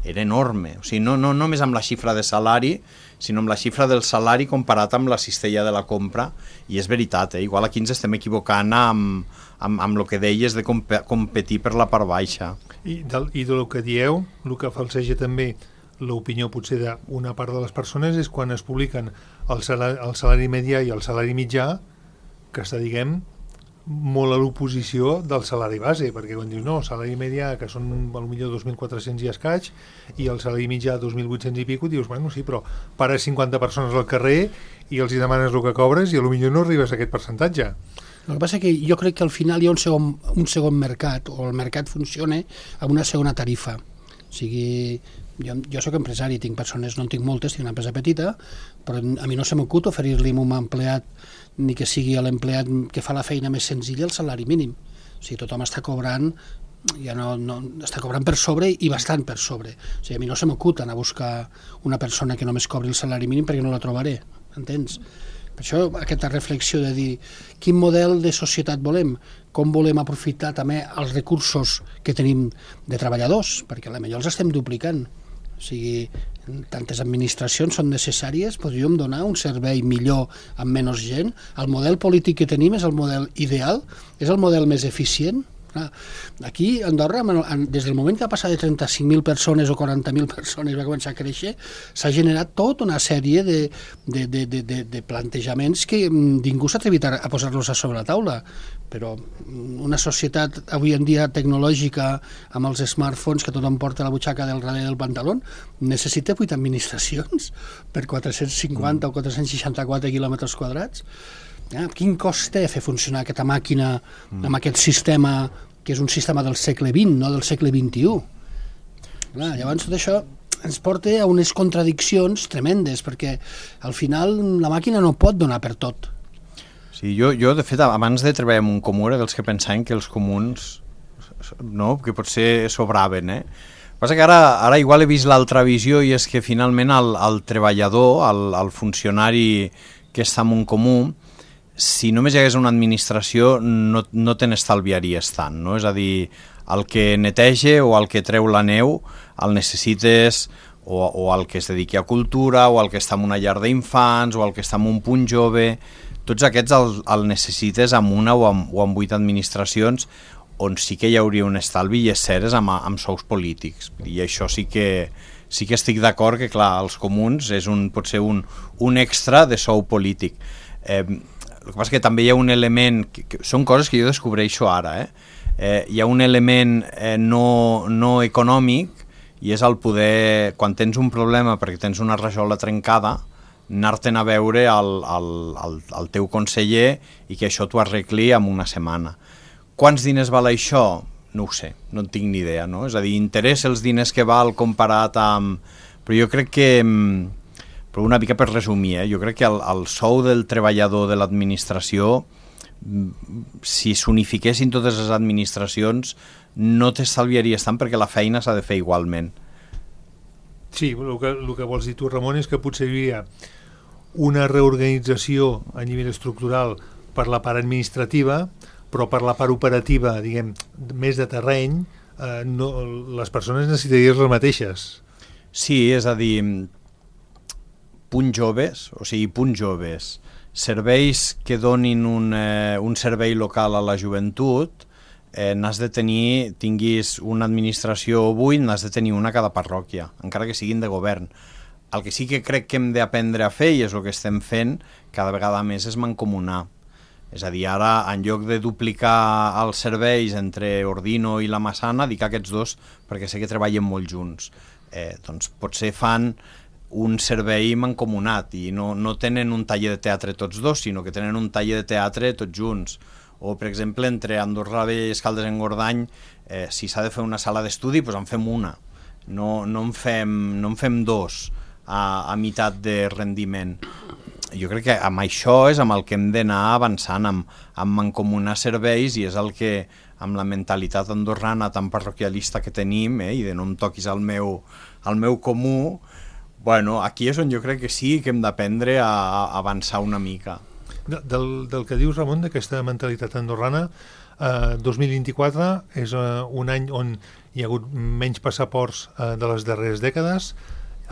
era enorme. O sigui, no només amb la xifra de salari, sinó amb la xifra del salari comparat amb la cistella de la compra, i és veritat, igual aquí ens estem equivocant amb el que deies de competir per la part baixa. I del que dieu, el que falseja també l'opinió potser d'una part de les persones és quan es publiquen el salari medià i el salari mitjà, que està, diguem, molt a l'oposició del salari base, perquè quan dius, no, salari medià, que són potser 2.400 i escaig, i el salari mitjà 2.800 i pico, dius, bueno, sí, però pares 50 persones al carrer i els hi demanes el que cobres i potser no arribes a aquest percentatge. El que passa és que jo crec que al final hi ha un segon mercat, o el mercat funciona amb una segona tarifa. O sigui, jo soc empresari, tinc persones, no en tinc moltes, tinc una empresa petita, però a mi no se m'acut oferir-li a un empleat ni que sigui l'empleat que fa la feina més senzilla el salari mínim. O sigui, tothom està cobrant, ja està cobrant per sobre i bastant per sobre. O sigui, a mi no se m'acut anar a buscar una persona que només cobri el salari mínim perquè no la trobaré, entens? Per això aquesta reflexió de dir quin model de societat volem, com volem aprofitar també els recursos que tenim de treballadors, perquè potser els estem duplicant. O sigui, tantes administracions són necessàries, podríem donar un servei millor amb menys gent. El model polític que tenim és el model ideal, és el model més eficient. Aquí, a Andorra, des del moment que va passar de 35.000 persones o 40.000 persones va començar a créixer, s'ha generat tota una sèrie de plantejaments que ningú s'ha atrevit a posar-los a sobre la taula. Però una societat avui en dia tecnològica amb els smartphones que tothom porta a la butxaca del darrere del pantaló necessita 8 administracions per 450 o 464 quilòmetres quadrats. Quin cost té fer funcionar aquesta màquina amb aquest sistema que és un sistema del segle XX, no del segle XXI? Llavors tot això ens porta a unes contradiccions tremendes, perquè al final la màquina no pot donar per tot. Sí, jo de fet, abans de treballar en un comú era dels que pensaven que els comuns que potser sobraven. Passa que ara igual he vist l'altra visió, i és que finalment el treballador, el funcionari que està en un comú, si només hi hagués una administració no te n'estalviaries tant, no? És a dir, el que neteja o el que treu la neu el necessites o el que es dediqui a cultura o el que està en una llar d'infants o el que està en un punt jove, tots aquests el necessites amb una o amb 8 administracions, on sí que hi hauria un estalvi, i és cert, és amb sous polítics, i això sí que estic d'acord que, clar, els comuns pot ser un extra de sou polític. El que passa que també hi ha un element, són coses que jo descobreixo ara, hi ha un element no econòmic, i és el poder, quan tens un problema perquè tens una rajola trencada, anar-te'n a veure el teu conseller i que això t'ho arregli en una setmana. Quants diners val això? No ho sé, no en tinc ni idea, no? És a dir, interessa els diners que val comparat amb... Però jo crec que... Però una mica per resumir, jo crec que el sou del treballador de l'administració, si s'unifiquessin totes les administracions, no t'estalviaries tant perquè la feina s'ha de fer igualment. Sí, el que vols dir tu, Ramon, és que potser hi havia una reorganització a nivell estructural per la part administrativa, però per la part operativa, diguem, més de terreny, les persones necessitarien les mateixes. Sí, és a dir, punts joves, serveis que donin un servei local a la joventut, n'has de tenir, tinguis una administració o 8, n'has de tenir una a cada parròquia, encara que siguin de govern. El que sí que crec que hem d'aprendre a fer, i és el que estem fent cada vegada més, és mancomunar. És a dir, ara, en lloc de duplicar els serveis entre Ordino i la Massana, dic aquests dos perquè sé que treballen molt junts. Doncs potser fan un servei mancomunat i no tenen un taller de teatre tots dos, sinó que tenen un taller de teatre tots junts. O, per exemple, entre Andorra Vella i Escaldes-Engordany, si s'ha de fer una sala d'estudi, doncs en fem una. No en fem dos a meitat de rendiment. Jo crec que amb això és amb el que hem d'anar avançant, amb mancomunar serveis, i és el que, amb la mentalitat andorrana tan parroquialista que tenim, i de no em toquis al meu comú, bueno, aquí és on jo crec que sí que hem d'aprendre a avançar una mica. Del que dius, Ramon, d'aquesta mentalitat andorrana, 2024 és un any on hi ha hagut menys passaports de les darreres dècades,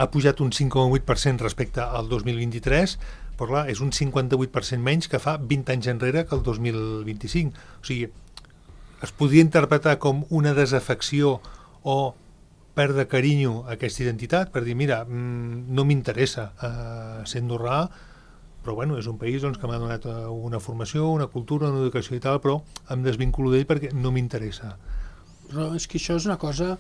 ha pujat un 5,8% respecte al 2023, però clar, és un 58% menys que fa 20 anys enrere que el 2025. O sigui, es podria interpretar com una desafecció o perdre carinyo a aquesta identitat, per dir, mira, no m'interessa ser andorrà, però bueno, és un país doncs, que m'ha donat una formació, una cultura, una educació i tal, però em desvinculo d'ell perquè no m'interessa. Però és que això és una cosa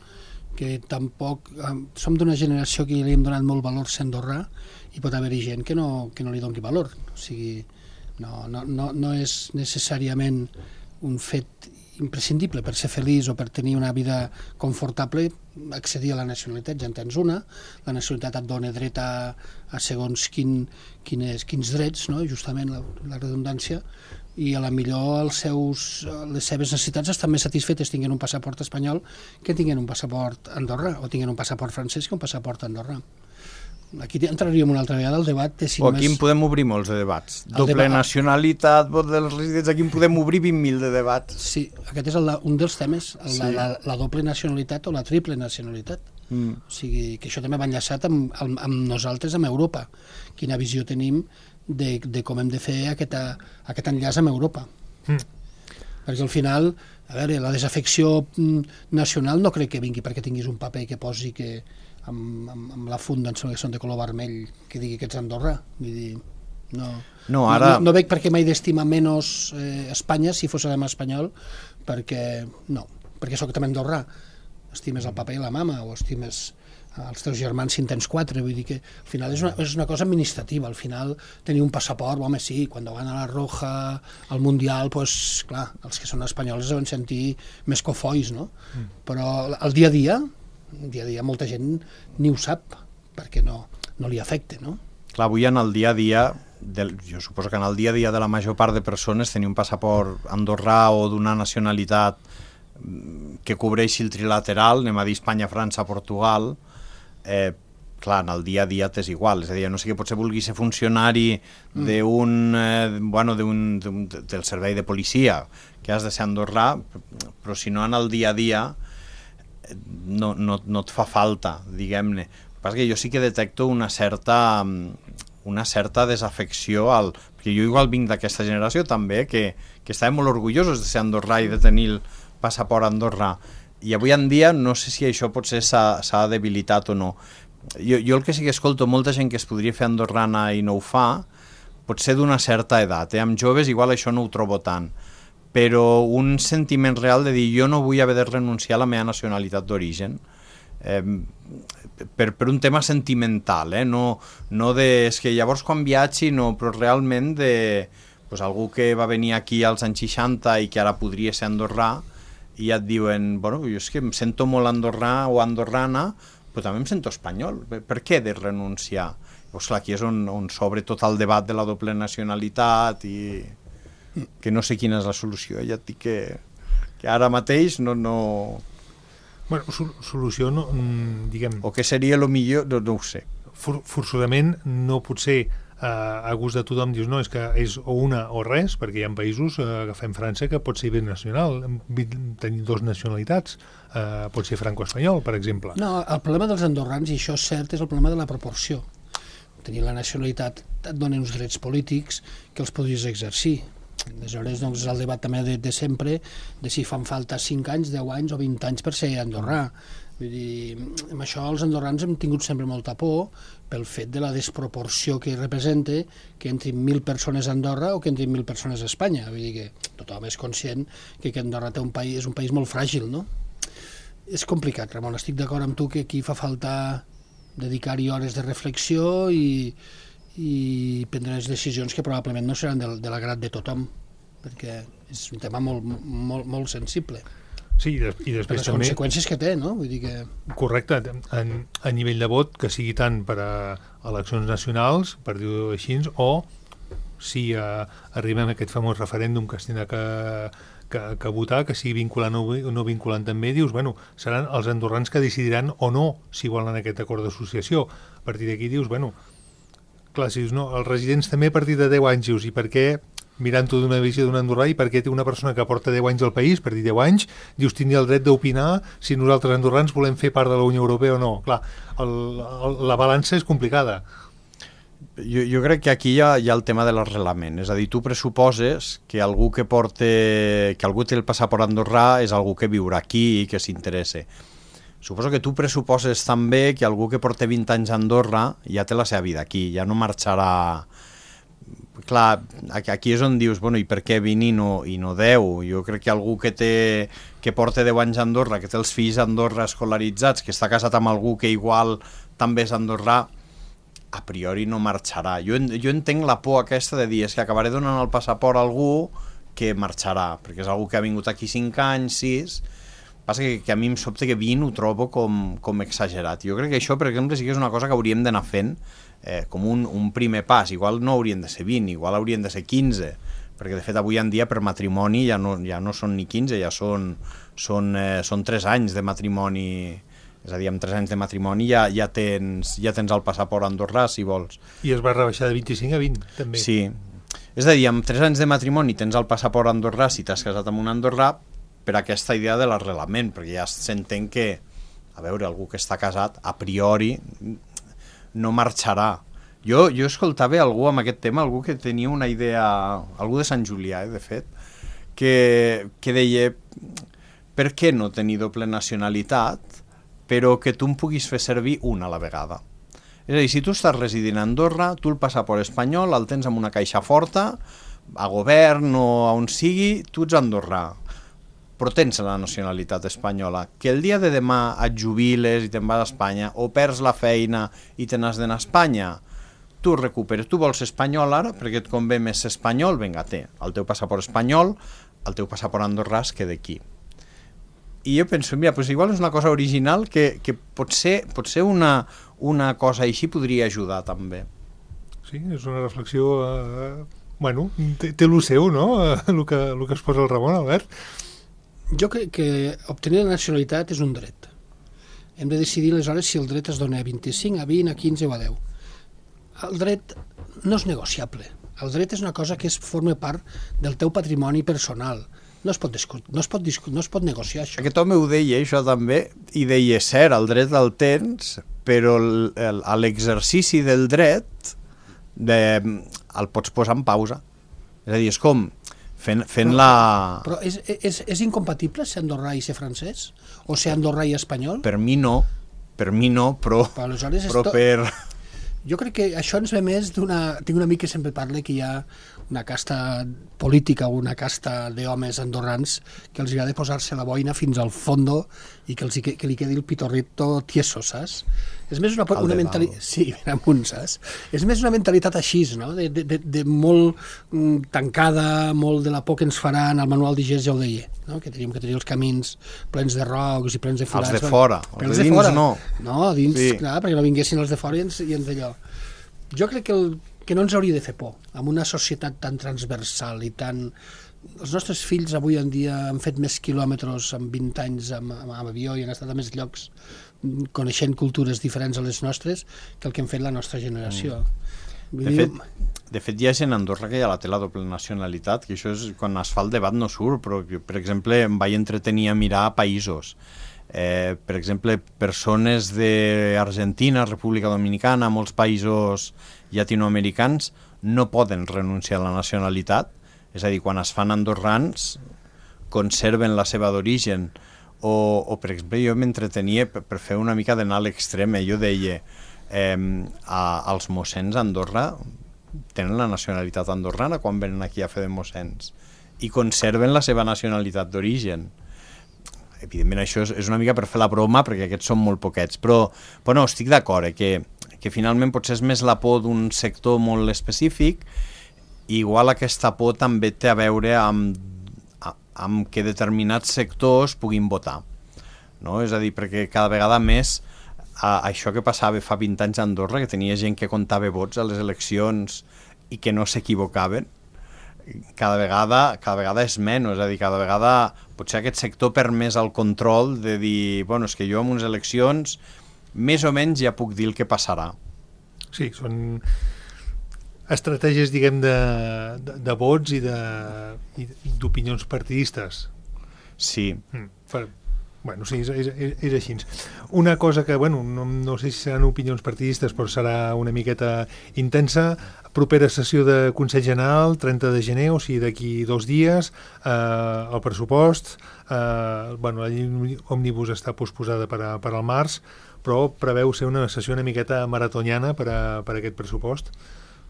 que tampoc... Som d'una generació que li hem donat molt valor a ser andorrà, i pot haver-hi gent que no li doni valor. O sigui, no és necessàriament un fet imprescindible per ser feliç o per tenir una vida confortable accedir a la nacionalitat. Ja en tens una, la nacionalitat et dona dret a segons quins drets, no? Justament la redundància, i a la millor les seves necessitats estan més satisfetes tinguent un passaport espanyol que tinguent un passaport andorrà, o tinguent un passaport francès que un passaport andorrà. Aquí entraríem una altra vegada al debat de si només... Aquí en podem obrir molts de debats. Doble nacionalitat, vot dels residents, aquí en podem obrir 20.000 de debats. Sí, aquest és un dels temes, la doble nacionalitat o la triple nacionalitat. O sigui, que això també va enllaçat amb nosaltres, amb Europa. Quina visió tenim de com hem de fer aquest enllaç amb Europa. Perquè al final, a veure, la desafecció nacional no crec que vingui perquè tinguis un paper que posi que amb la funda que són de color vermell que digui que ets Andorra. Vull dir, no veig per què m'he d'estimar menys Espanya si fos espanyol, perquè soc també andorrà. Estimes el papa i la mama, o estimes els teus germans si en tens 4, vull dir que al final és una cosa administrativa. Al final tenir un passaport, home, sí, quan van a la Roja al Mundial, doncs clar, els que són espanyols es deuen sentir més cofois, no? Però el dia a dia molta gent ni ho sap perquè no li afecta, no? Clar, avui en el dia a dia, jo suposo que en el dia a dia de la major part de persones tenir un passaport andorrà o d'una nacionalitat que cobreixi el trilateral, anem a dir Espanya, França, Portugal, clar, en el dia a dia t'és igual, és a dir, no sé que potser vulgui ser funcionari del servei de policia, que has de ser andorrà, però si no en el dia a dia no et fa falta, diguem-ne. El que passa és que jo sí que detecto una certa desafecció, perquè jo igual vinc d'aquesta generació també, que estàvem molt orgullosos de ser andorrà i de tenir el passaport andorrà, i avui en dia no sé si això potser s'ha debilitat o no. Jo el que sí que escolto molta gent que es podria fer andorrana i no ho fa, potser d'una certa edat, amb joves igual això no ho trobo tant, però un sentiment real de dir jo no vull haver de renunciar a la meva nacionalitat d'origen, per un tema sentimental, no de... És que llavors quan viatgi, no, però realment de algú que va venir aquí als anys 60 i que ara podria ser andorrà, i ja et diuen, bueno, jo és que em sento molt andorrà o andorrana, però també em sento espanyol, per què he de renunciar? Llavors, clar, aquí és on s'obre tot el debat de la doble nacionalitat i que no sé quina és la solució, ja et dic que ara mateix no... Bueno, solució no, diguem... O què seria el millor, no ho sé. Forçosament no pot ser a gust de tothom dius, no, és que és o una o res, perquè hi ha països, agafem França, que pot ser binacional, tenir dues nacionalitats, pot ser franco-espanyol, per exemple. No, el problema dels andorrans, i això és cert, és el problema de la proporció. Tenir la nacionalitat et dona uns drets polítics que els podries exercir. Aleshores, doncs, és el debat també de sempre de si fan falta 5 anys, 10 anys o 20 anys per ser andorrà. Vull dir, amb això els andorrans hem tingut sempre molta por pel fet de la desproporció que representa que entrin 1.000 persones a Andorra o que entrin 1.000 persones a Espanya. Vull dir que tothom és conscient que Andorra és un país molt fràgil, no? És complicat, Ramon, estic d'acord amb tu que aquí fa falta dedicar-hi hores de reflexió i prendre les decisions que probablement no seran de l'agrat de tothom, perquè és un tema molt sensible. Sí, i després les també... conseqüències que té, no? Vull dir que... Correcte, a nivell de vot, que sigui tant per a eleccions nacionals, per dir-ho així, o si arribem a aquest famós referèndum que es tindrà que votar, que sigui vinculant o no vinculant també, dius, bueno, seran els andorrans que decidiran o no si volen aquest acord d'associació. A partir d'aquí dius, bueno, clar, si dius, no, els residents també a partir de 10 anys, dius, i per què... mirant-ho d'una visió d'un andorrà, i perquè té una persona que porta 10 anys al país, per dir 10 anys, dius, tindria el dret d'opinar si nosaltres andorrans volem fer part de la Unió Europea o no. Clar, la balança és complicada. Jo crec que aquí hi ha el tema de l'arrelament, és a dir, tu pressuposes que algú que algú té el passaport andorrà és algú que viurà aquí i que s'interessa. Suposo que tu pressuposes també que algú que porta 20 anys a Andorra ja té la seva vida aquí, ja no marxarà... Clar, aquí és on dius, bueno, i per què 20 i no 10? Jo crec que algú que porta 10 anys a Andorra, que té els fills a Andorra escolaritzats, que està casat amb algú que igual també és andorrà, a priori no marxarà. Jo entenc la por aquesta de dir, és que acabaré donant el passaport a algú que marxarà, perquè és algú que ha vingut aquí 5 anys, 6... Passa que a mi em sobta que 20 ho trobo com exagerat. Jo crec que això, per exemple, sí que és una cosa que hauríem d'anar fent com un primer pas. Igual no haurien de ser 20, igual haurien de ser 15, perquè de fet avui en dia per matrimoni ja no són ni 15, ja són 3 anys de matrimoni. És a dir, amb 3 anys de matrimoni ja tens el passaport andorrà, si vols. I es va rebaixar de 25 a 20, també. Sí. És a dir, amb 3 anys de matrimoni tens el passaport andorrà si t'has casat amb un andorrà, per aquesta idea de l'arrelament, perquè ja s'entén que, a veure, algú que està casat, a priori, no marxarà. Jo escoltava algú amb aquest tema, algú que tenia una idea, algú de Sant Julià, de fet, que deia, per què no tenir doble nacionalitat, però que tu em puguis fer servir una a la vegada? És a dir, si tu estàs residint a Andorra, tu el passaport espanyol el tens en una caixa forta, a govern o a on sigui, tu ets andorrà, però tens la nacionalitat espanyola, que el dia de demà et jubiles i te'n vas a Espanya, o perds la feina i te n'has d'anar a Espanya, tu recuperes, tu vols ser espanyol ara, perquè et convé més ser espanyol, vinga, té el teu passaport espanyol, el teu passaport andorrà es queda aquí. I jo penso, mira, pues igual és una cosa original que potser una cosa així podria ajudar també. Sí, és una reflexió... Bueno, té el seu, no?, el que es posa el Ramon, Albert. Jo crec que obtenir la nacionalitat és un dret. Hem de decidir aleshores si el dret es dona a 25, a 20, a 15 o a 10. El dret no és negociable. El dret és una cosa que forma part del teu patrimoni personal. No es pot negociar això. Aquest home ho deia, això també, i deia, cert, el dret el tens, però l'exercici del dret el pots posar en pausa. És a dir, és com... fent la... Però és incompatible ser andorrà i ser francès? O ser andorrà i espanyol? Per mi no, però per... Jo crec que això ens ve més d'una... Tinc un amic que sempre parla que hi ha una casta política o una casta d'homes andorrans que els agrada posar-se la boina fins al fondo i que li quedi el pitorrito tieso, saps? És més una mentalitat... Sí, amunt, saps? És més una mentalitat així, no? De molt tancada, molt de la por que ens faran. El manual d'Igés ja ho deia, no? Que teníem que tenir els camins plens de rocs i plens de forats. Els de fora, els de dins no. No, dins, sí. Clar, perquè no vinguessin els de fora i ens d'allò. Jo crec que no ens hauria de fer por, amb una societat tan transversal i tan... Els nostres fills avui en dia han fet més quilòmetres en 20 anys amb avió i han estat a més llocs coneixent cultures diferents a les nostres que el que hem fet la nostra generació. De fet, hi ha gent a Andorra que ja la té la doble nacionalitat, que això és, quan es fa el debat no surt, però, per exemple, em vaig entretenir a mirar països. Per exemple, persones d'Argentina, República Dominicana, molts països llatinoamericans no poden renunciar a la nacionalitat, és a dir, quan es fan andorrans conserven la seva d'origen, o per exemple, jo m'entretenia per fer una mica d'anar a l'extrem, jo deia, els mossens a Andorra tenen la nacionalitat andorrana quan venen aquí a fer de mossens i conserven la seva nacionalitat d'origen. Evidentment això és una mica per fer la broma, perquè aquests són molt poquets, però no, estic d'acord, que finalment potser és més la por d'un sector molt específic, i igual aquesta por també té a veure amb que determinats sectors puguin votar, no? És a dir, perquè cada vegada més això que passava fa 20 anys a Andorra, que tenia gent que comptava vots a les eleccions i que no s'equivocaven, cada vegada és menys, és a dir, cada vegada potser aquest sector perd més el control de dir, bueno, és que jo en unes eleccions més o menys ja puc dir el que passarà. Sí, són estratègies, diguem, de vots i d'opinions partidistes. Sí. Bueno, sí, és així. Una cosa que, bueno, no sé si seran opinions partidistes, però serà una miqueta intensa. Propera sessió de Consell General, 30 de gener, o sigui, d'aquí 2 dies, el pressupost, bueno, la llei òmnibus està posposada per al març, però preveu ser una sessió una miqueta maratoniana per aquest pressupost.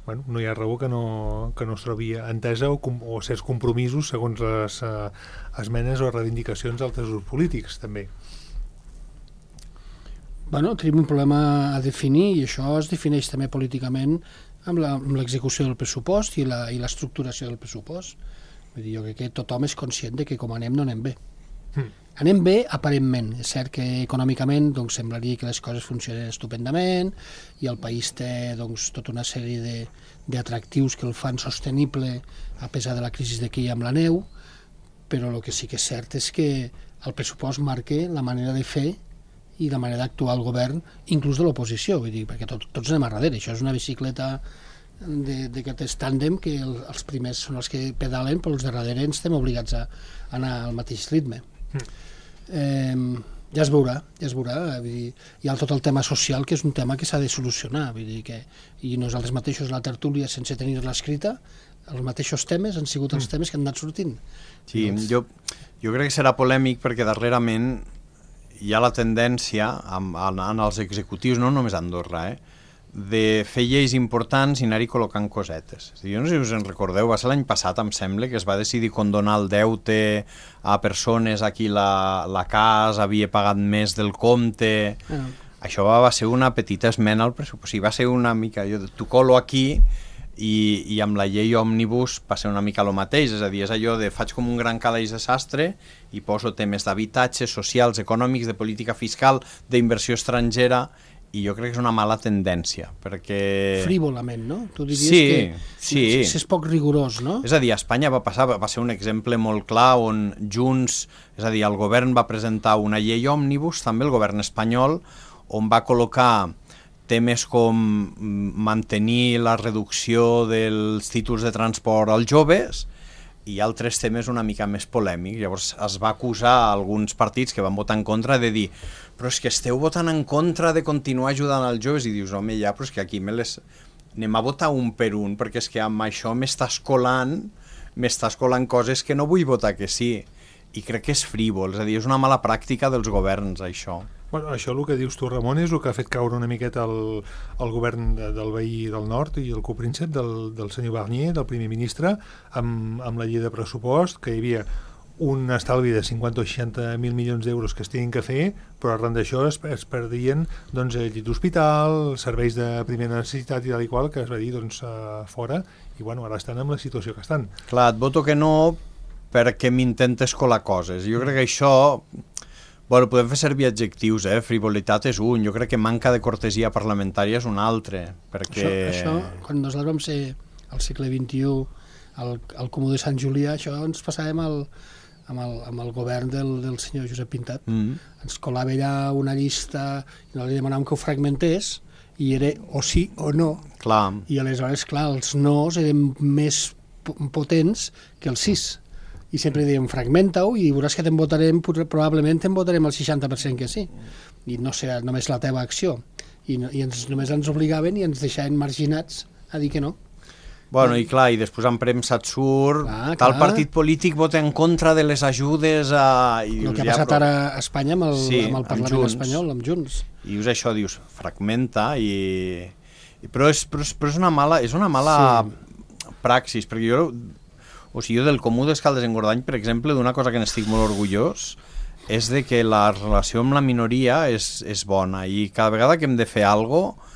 Bueno, no hi ha raó que no es trobi entesa o certs compromisos segons les esmenes o reivindicacions d'altres grups polítics, també. Bueno, tenim un problema a definir, i això es defineix també políticament amb l'execució del pressupost i l'estructuració del pressupost. Vull dir, jo crec que tothom és conscient de que com anem no anem bé. Anem bé aparentment, és cert que econòmicament doncs, semblaria que les coses funcionen estupendament i el país té doncs, tota una sèrie d'atractius que el fan sostenible a pesar de la crisi de que hi ha amb la neu, però el que sí que és cert és que el pressupost marca la manera de fer i la manera d'actuar el govern, inclús de l'oposició, vull dir, perquè tots anem a darrere, això és una bicicleta d'aquest tàndem que els primers són els que pedalen, però els de darrere ens estem obligats a anar al mateix ritme. Ja es veurà, vull dir, hi ha tot el tema social, que és un tema que s'ha de solucionar, vull dir que, i nosaltres mateixos la tertúlia, sense tenir-la escrita, els mateixos temes han sigut els temes que han anat sortint. Sí, jo crec que serà polèmic perquè darrerament hi ha la tendència en els executius, no només a Andorra, de fer lleis importants i anar-hi col·locant cosetes. Jo no sé si us en recordeu, va ser l'any passat, em sembla, que es va decidir condonar el deute a persones a qui la casa havia pagat més del compte. Això va ser una petita esmena al pressupost. Va ser una mica, jo t'ho colo aquí i amb la llei òmnibus va ser una mica el mateix, és a dir, és allò de faig com un gran calaix de sastre i poso temes d'habitatge, socials, econòmics, de política fiscal, d'inversió estrangera, i jo crec que és una mala tendència, perquè... Frívolament, no? Tu diries que és poc rigorós, no? És a dir, a Espanya va ser un exemple molt clar on Junts, és a dir, el govern va presentar una llei òmnibus, també el govern espanyol, on va col·locar temes com mantenir la reducció dels títols de transport als joves i altres temes una mica més polèmics. Llavors es va acusar a alguns partits que van votar en contra de dir però és que esteu votant en contra de continuar ajudant als joves, i dius, home, ja, però és que aquí anem a votar un per un, perquè és que amb això m'estàs colant coses que no vull votar que sí, i crec que és frívol, és a dir, és una mala pràctica dels governs, això. Bueno, això el que dius tu, Ramon, és el que ha fet caure una miqueta el govern del veí del nord i el copríncep del senyor Barnier, del primer ministre, amb la llei de pressupost, que hi havia un estalvi de 50 o 60.000 milions d'euros que es tenien que fer, però arran d'això es perdien doncs, llit d'hospital, serveis de primera necessitat i tal i qual, que es va dir doncs, fora, i bueno, ara estan en la situació que estan. Clar, et voto que no perquè m'intentes colar coses. Jo crec que això... Bueno, podem fer servir adjectius, frivolitat és un, jo crec que manca de cortesia parlamentària és un altre, perquè... Això quan nosaltres vam ser al segle XXI, al Comú de Sant Julià, això ens passàvem amb el govern del senyor Josep Pintat. Ens colava allà una llista i no li demanàvem que ho fragmentés i era o sí o no. Clar. I aleshores, clar, els no's eren més potents que els sís. I sempre dèiem, fragmenta-ho i veuràs que probablement te'n votarem el 60% que sí. I no serà només la teva acció. I només ens obligaven i ens deixaven marginats a dir que no. Bueno, i clar, i després en premsa et surt, tal partit polític vota en contra de les ajudes a... El que ha passat ara a Espanya amb el Parlament espanyol, amb Junts. I dius això, dius, fragmenta, però és una mala praxis, perquè jo del Comú d'Escaldes-Engordany, per exemple, d'una cosa que n'estic molt orgullós, és de que la relació amb la minoria és bona, i cada vegada que hem de fer alguna cosa,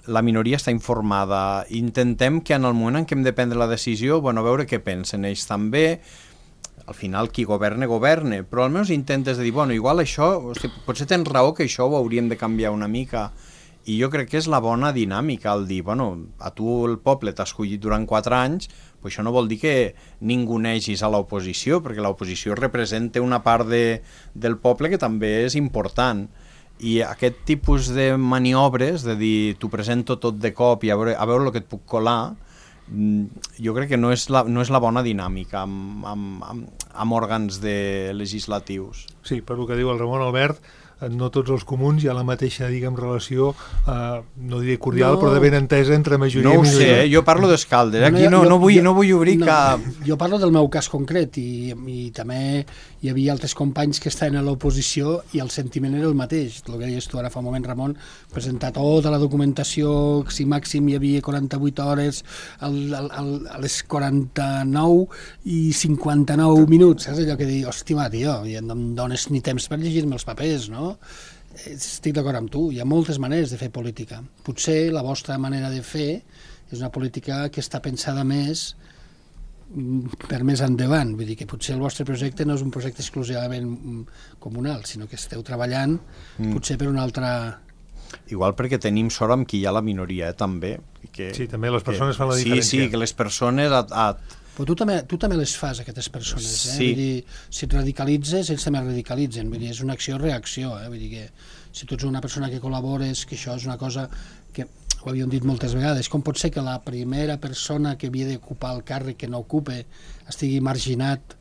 la minoria està informada. Intentem que en el moment en què hem de prendre la decisió, a veure què pensen ells també. Al final qui governa, però almenys intentes de dir, igual això, potser tens raó que això ho hauríem de canviar una mica. I jo crec que és la bona dinàmica, el dir, a tu el poble t'ha escollit durant 4 anys, però això no vol dir que ningunegis a l'oposició, perquè l'oposició representa una part del poble que també és important. I aquest tipus de maniobres, de dir, t'ho presento tot de cop i a veure el que et puc colar, jo crec que no és la bona dinàmica amb òrgans legislatius. Sí, per el que diu el Ramon Albert, no tots els comuns hi ha la mateixa, relació, no diré cordial, però de ben entesa entre majoria i minoria. No ho sé, jo parlo d'Escaldes, aquí no vull obrir cap... Jo parlo del meu cas concret i també hi havia altres companys que estaven a l'oposició i el sentiment era el mateix. El que deies tu ara fa un moment, Ramon, presentar tota la documentació, si màxim hi havia 48 hores, a les 49 i 59 minuts, saps allò que dius, hòstia, tio, no em dones ni temps per llegir-me els papers, no? Estic d'acord amb tu, hi ha moltes maneres de fer política. Potser la vostra manera de fer és una política que està pensada més per més endavant, vull dir que potser el vostre projecte no és un projecte exclusivament comunal, sinó que esteu treballant potser per una altra... Igual perquè tenim sort amb qui hi ha la minoria, també. Sí, també les persones fan la diferència. Sí, que les persones... Però tu també les fas, aquestes persones, Sí. Vull dir, si et radicalitzes, ells també radicalitzen, vull dir, és una acció-reacció, vull dir que si tu ets una persona que col·labores, que això és una cosa que ho havíem dit moltes vegades, com pot ser que la primera persona que havia d'ocupar el càrrec que no ocupe estigui marginat,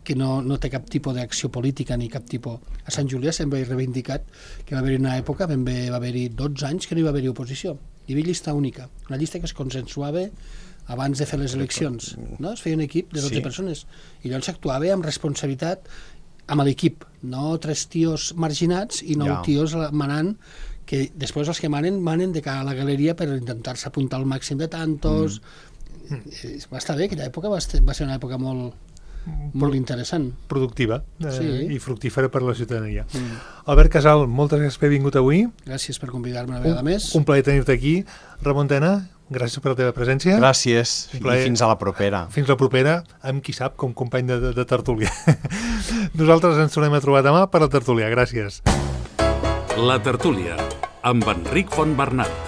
que no té cap tipus d'acció política ni cap tipus... A Sant Julià sempre he reivindicat que va haver-hi una època, va haver-hi 12 anys que no hi va haver-hi oposició. Hi havia llista única, una llista que es consensuava abans de fer les eleccions, no? Es feia un equip de 12 persones i llavors s'actuava amb responsabilitat amb l'equip, no 3 tios marginats i 9 tios manant, que després els que manen de cara a la galeria per intentar-se apuntar al màxim de tantos. Va estar bé, aquella època va ser una època molt interessant. Productiva i fructífera per a la ciutadania. Albert Casal, moltes gràcies per haver vingut avui. Gràcies per convidar-me una vegada més. Un plaer tenir-te aquí. Ramon Tena, gràcies per la teva presència. Gràcies, i fins a la propera. Fins la propera, amb qui sap, com company de tertúlia. Nosaltres ens tornem a trobar demà per la tertúlia. Gràcies. La tertúlia, amb Enric Fontbernat.